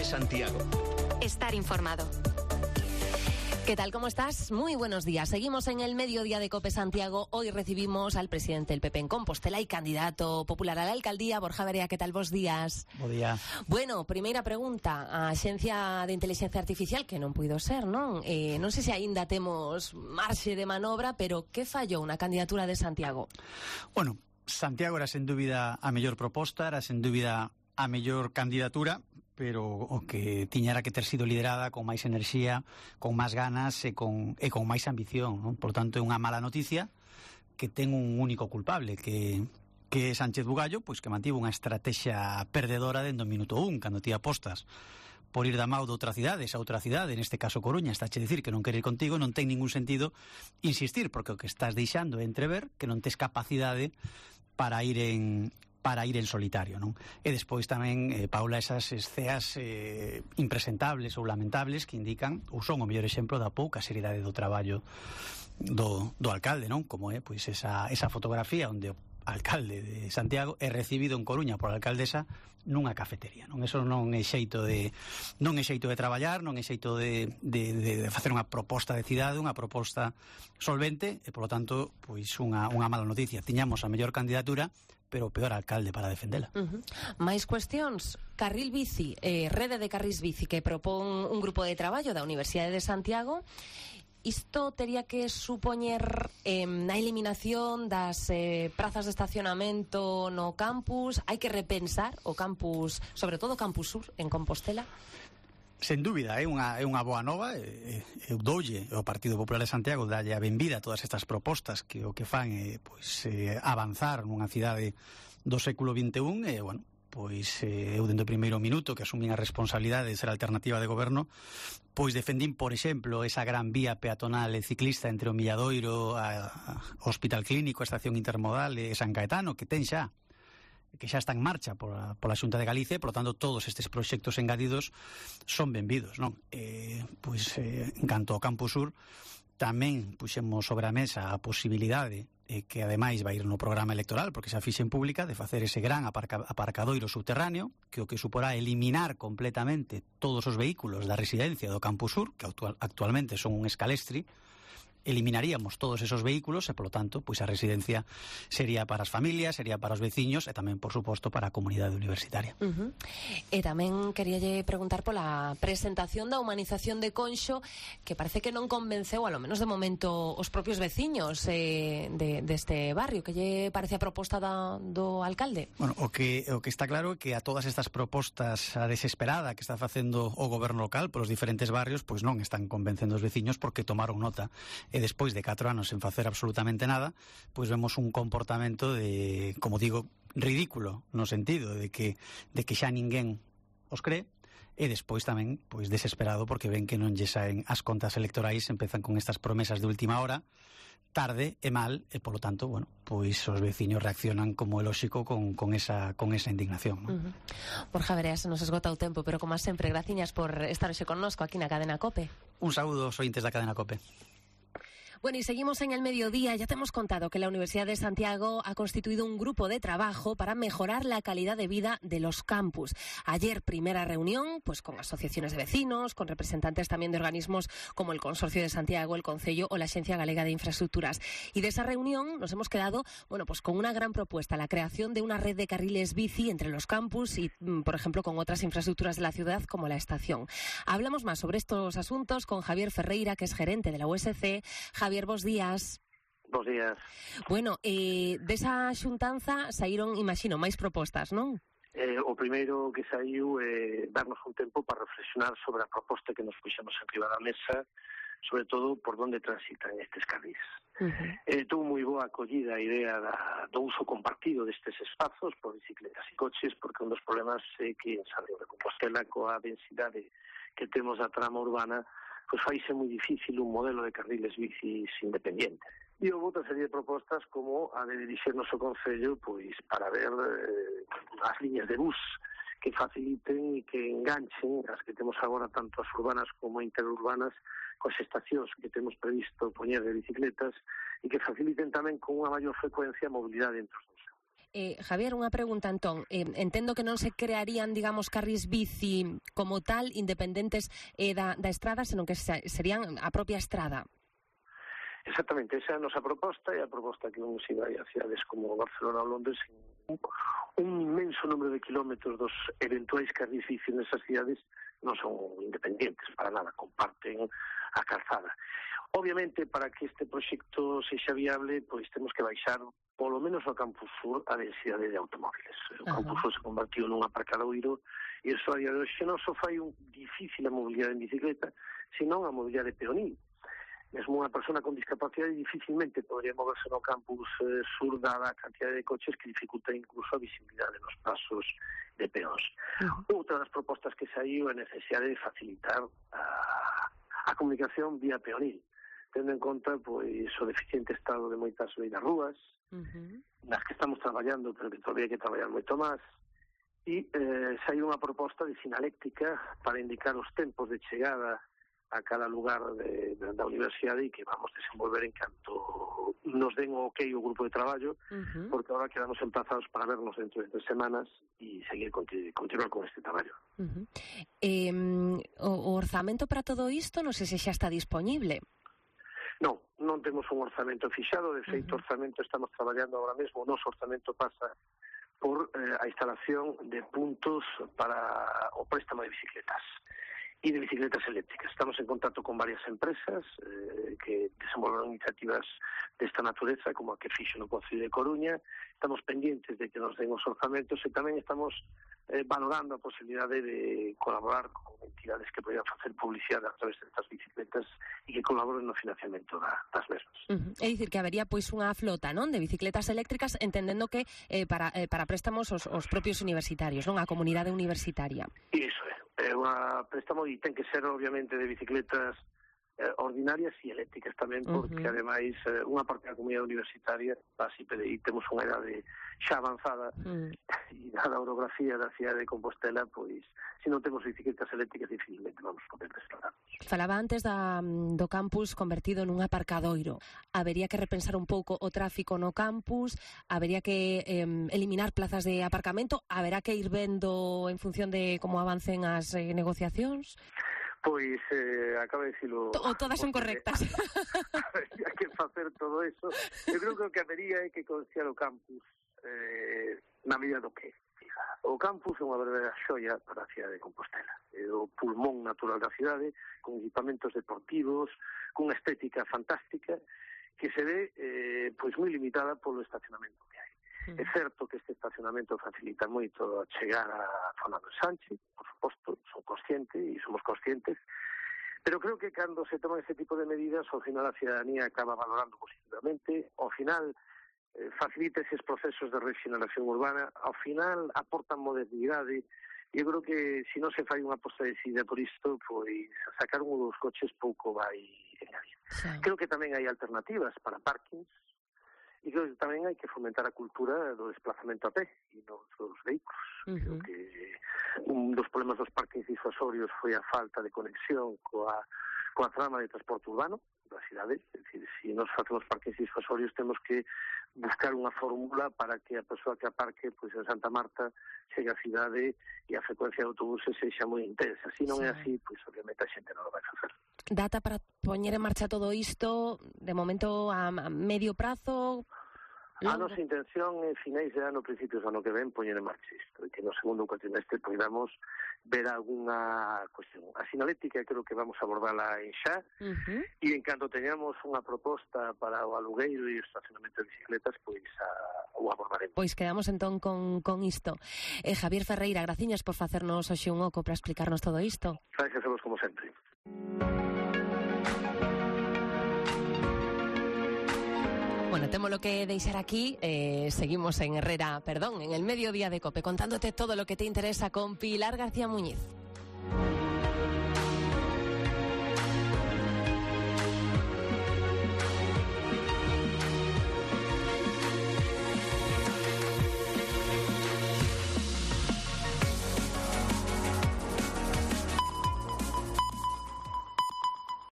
COPE Santiago. Estar informado. ¿Qué tal? ¿Cómo estás? Muy buenos días. Seguimos en el mediodía de COPE Santiago. Hoy recibimos al presidente del PP en Compostela y candidato popular a la alcaldía, Borja Verea. ¿Qué tal? Bos días. Bo día. Bueno, primeira pregunta. A Axencia de Inteligencia Artificial, que non puido ser, non? Non sei se aínda temos marxe de manobra, pero que fallou na candidatura de Santiago? Bueno, Santiago era sen dúbida a mellor proposta, era sen dúbida a mellor candidatura, pero o que tiña era que ter sido liderada con máis enerxía, con máis ganas e con máis ambición, non? Por tanto, é unha mala noticia que ten un único culpable, que é Sánchez Bugallo, pois que mantivo unha estrategia perdedora dende o minuto 1, cando ti apostas por ir da mau de outra cidade, esa outra cidade, neste caso Coruña, estáche dicir que non quere ir contigo, non ten ningún sentido insistir, porque o que estás deixando é entrever que non tes capacidade para ir en solitario, non? E despois tamén, Paula, esas ceas impresentables ou lamentables que indican, ou son o mellor exemplo da pouca seriedade do traballo do alcalde, non? Como é, pois, esa fotografía onde o alcalde de Santiago é recibido en Coruña por a alcaldesa nunha cafetería, non? Eso non é xeito de traballar, non é xeito de facer unha proposta de cidade, unha proposta solvente, e polo tanto, pois unha mala noticia. Tiñamos a mellor candidatura, pero o peor alcalde para defendela. Mais cuestións. Carril bici, rede de carris bici que propón un grupo de traballo da Universidade de Santiago. Isto tería que supoñer na eliminación das prazas de estacionamento no campus. Hai que repensar o campus, sobre todo o campus sur en Compostela. Sen dúbida, é unha boa nova. Eu doulle ao Partido Popular de Santiago dalle a benvida a todas estas propostas que o que fan é avanzar nunha cidade do século XXI. E, bueno, pois eu dende o primeiro minuto que asumín a responsabilidade de ser alternativa de goberno, pois defendín, por exemplo, esa gran vía peatonal e ciclista entre o Milladoiro, a Hospital Clínico, a Estación Intermodal e San Caetano, que xa está en marcha pola Xunta de Galicia, e, por lo tanto, todos estes proxectos engadidos son benvidos, non? Pois, en canto ao Campus Sur, tamén puxemos sobre a mesa a posibilidade, que ademais vai ir no programa electoral, porque xa fixen pública, de facer ese gran aparcadoiro subterráneo, que o que suporá eliminar completamente todos os vehículos da residencia do Campus Sur, que actualmente son un escalestri. Eliminaríamos todos esos vehículos e, polo tanto, pois a residencia sería para as familias, sería para os veciños e tamén, por suposto, para a comunidade universitaria. E tamén queríalle preguntar pola presentación da humanización de Conxo, que parece que non convenceu, ao menos de momento, os propios veciños deste barrio. Que lle parece a proposta do alcalde? Bueno, o que está claro é que a todas estas propostas a desesperada que está facendo o goberno local polos diferentes barrios, pois non están convencendo os veciños, porque tomaron nota. E despois de 4 anos sen facer absolutamente nada, pois vemos un comportamento de, como digo, ridículo, no sentido de que xa ninguén os cree, e despois tamén pois desesperado porque ven que non lle saen as contas electorais, empezan con estas promesas de última hora, tarde e mal, e polo tanto, bueno, pois os veciños reaccionan como é lóxico con esa indignación, ¿no? Borja Verea, se nos esgota o tempo, pero como sempre, graciñas por estar hoxe connosco aquí na Cadena COPE. Un saúdo aos ointes da Cadena COPE. Bueno, y seguimos en el mediodía. Ya te hemos contado que la Universidad de Santiago ha constituido un grupo de trabajo para mejorar la calidad de vida de los campus. Ayer, primera reunión, pues con asociaciones de vecinos, con representantes también de organismos como el Consorcio de Santiago, el Concello o la Axencia Galega de Infraestructuras. Y de esa reunión nos hemos quedado, bueno, pues con una gran propuesta, la creación de una red de carriles bici entre los campus y, por ejemplo, con otras infraestructuras de la ciudad como la estación. Hablamos más sobre estos asuntos con Javier Ferreira, que es gerente de la USC. Javier, bos días. Bos días. Bueno, desa xuntanza saíron, imagino, máis propostas, non? O primeiro que saiu é darnos un tempo para reflexionar sobre a proposta que nos puxemos arriba da mesa, sobre todo por onde transitan estes carris. Tuvo moi boa acollida a idea do uso compartido destes espazos por bicicletas e coches, porque un dos problemas é que en Santiago de Compostela, coa densidade que temos da trama urbana, pois faise moi difícil un modelo de carriles bicis independiente. E houve outra serie de propostas como a de dirixirnos ao Concello pois para ver as liñas de bus que faciliten e que enganchen as que temos agora tanto as urbanas como interurbanas coas estacións que temos previsto poñer de bicicletas e que faciliten tamén con unha maior frecuencia a mobilidade entre os dos. Javier, unha pregunta entón. Entendo que non se crearían, digamos, carris bici como tal, independentes da estrada, senón que serían a propia estrada. Exactamente, esa é a nosa proposta, e a proposta que vamos ir a cidades como Barcelona ou Londres, un inmenso número de kilómetros dos eventuais carris bici nesas cidades non son independentes para nada, comparten a calzada. Obviamente, para que este proxecto sexa viable, pois temos que baixar polo menos ao Campus Sur a densidade de automóviles. O Campus Sur se convertiu nun aparcadoiro e iso a día de hoxe non só fai difícil a mobilidade en bicicleta, senón a mobilidade peonil. Mesmo unha persona con discapacidade dificilmente podría moverse no Campus Sur dada a cantidad de coches que dificulta incluso a visibilidade nos pasos de peóns. Outra das propostas que saiu é a necesidade de facilitar a comunicación vía peonil, tendo en conta pois o deficiente estado de moitas beirarrúas, nas que estamos traballando, pero que todavía hai que traballar moito máis, e saiu unha proposta de sinaléctica para indicar os tempos de chegada a cada lugar da universidade e que vamos desenvolver en canto nos den o ok o grupo de traballo, porque agora quedamos emplazados para vernos dentro de 3 semanas e seguir continuar con este traballo. O orzamento para todo isto non sei se xa está disponible. Non temos un orzamento fixado, de feito, orzamento estamos traballando agora mesmo, o noso orzamento pasa por a instalación de puntos para o préstamo de bicicletas e de bicicletas eléctricas. Estamos en contacto con varias empresas que desenvolven iniciativas desta natureza, como a que fixo no Concello de Coruña. Estamos pendientes de que nos den os orzamentos e tamén estamos valorando a posibilidade de colaborar con entidades que poidan facer publicidade a través destas bicicletas e que colaboren no financiamento das mesmas. É dicir, que habería pois unha flota, non, de bicicletas eléctricas, entendendo que para préstamos os propios universitarios, non, a comunidade universitaria. Iso é unha préstamo e ten que ser obviamente de bicicletas ordinarias e eléctricas tamén, porque ademais unha parte da comunidade universitaria, así PDI, temos unha idade xa avanzada e dada a orografía da cidade de Compostela, pois se non temos bicicletas eléctricas dificilmente vamos poder desplazarnos. Falaba antes do campus convertido nun aparcadoiro. Habería que repensar un pouco o tráfico no campus, habería que eliminar plazas de aparcamento, haberá que ir vendo en función de como avancen as negociacións. Pois, acaba de dicilo... Todas son correctas. Hai que facer todo eso. Eu creo que o que habería é que considerar o campus na medida do que. O campus é unha verdadeira xoia para a cidade de Compostela. É o pulmón natural da cidade, con equipamentos deportivos, con unha estética fantástica, que se ve pois moi limitada polo estacionamento que hai. É certo que este estacionamento facilita moito a chegar á zona do Sánchez, por suposto, somos conscientes, pero creo que cando se toman este tipo de medidas, ao final a cidadanía acaba valorando positivamente, ao final facilita eses procesos de regeneración urbana, ao final aportan modernidade, e eu creo que se non se fai unha aposta decidida por isto, pois sacar un dos coches pouco vai engadir. Creo que tamén hai alternativas para parkings, e creo que tamén hai que fomentar a cultura do desplazamento a pé e non dos vehículos. Creo que un dos problemas dos parkings disuasorios foi a falta de conexión coa trama de transporte urbano da cidade. É dicir, se nos facemos parkings disuasorios temos que buscar unha fórmula para que a persoa que aparque pois en Santa Marta chegue á cidade e a frecuencia de autobuses sexa moi intensa. Se non é así, pois obviamente a xente non o vai facer. Data para poñer en marcha todo isto, de momento a medio prazo? A nosa intención é finais de ano, principios do ano que ven, poñer en marcha isto, e que no segundo cuatrimestre podamos ver algunha cuestión. A sinalética creo que vamos a abordarla en xa, e en canto teñamos unha proposta para o alugueiro e o estacionamento de bicicletas, pois o abordaremos. Pois quedamos entón con isto. Javier Ferreira, graciñas por facernos hoxe un oco para explicarnos todo isto. Gracias a vos como sempre. Bueno, témolo que deixar aquí, seguimos en el mediodía de COPE, contándote todo lo que te interesa con Pilar García Muñiz.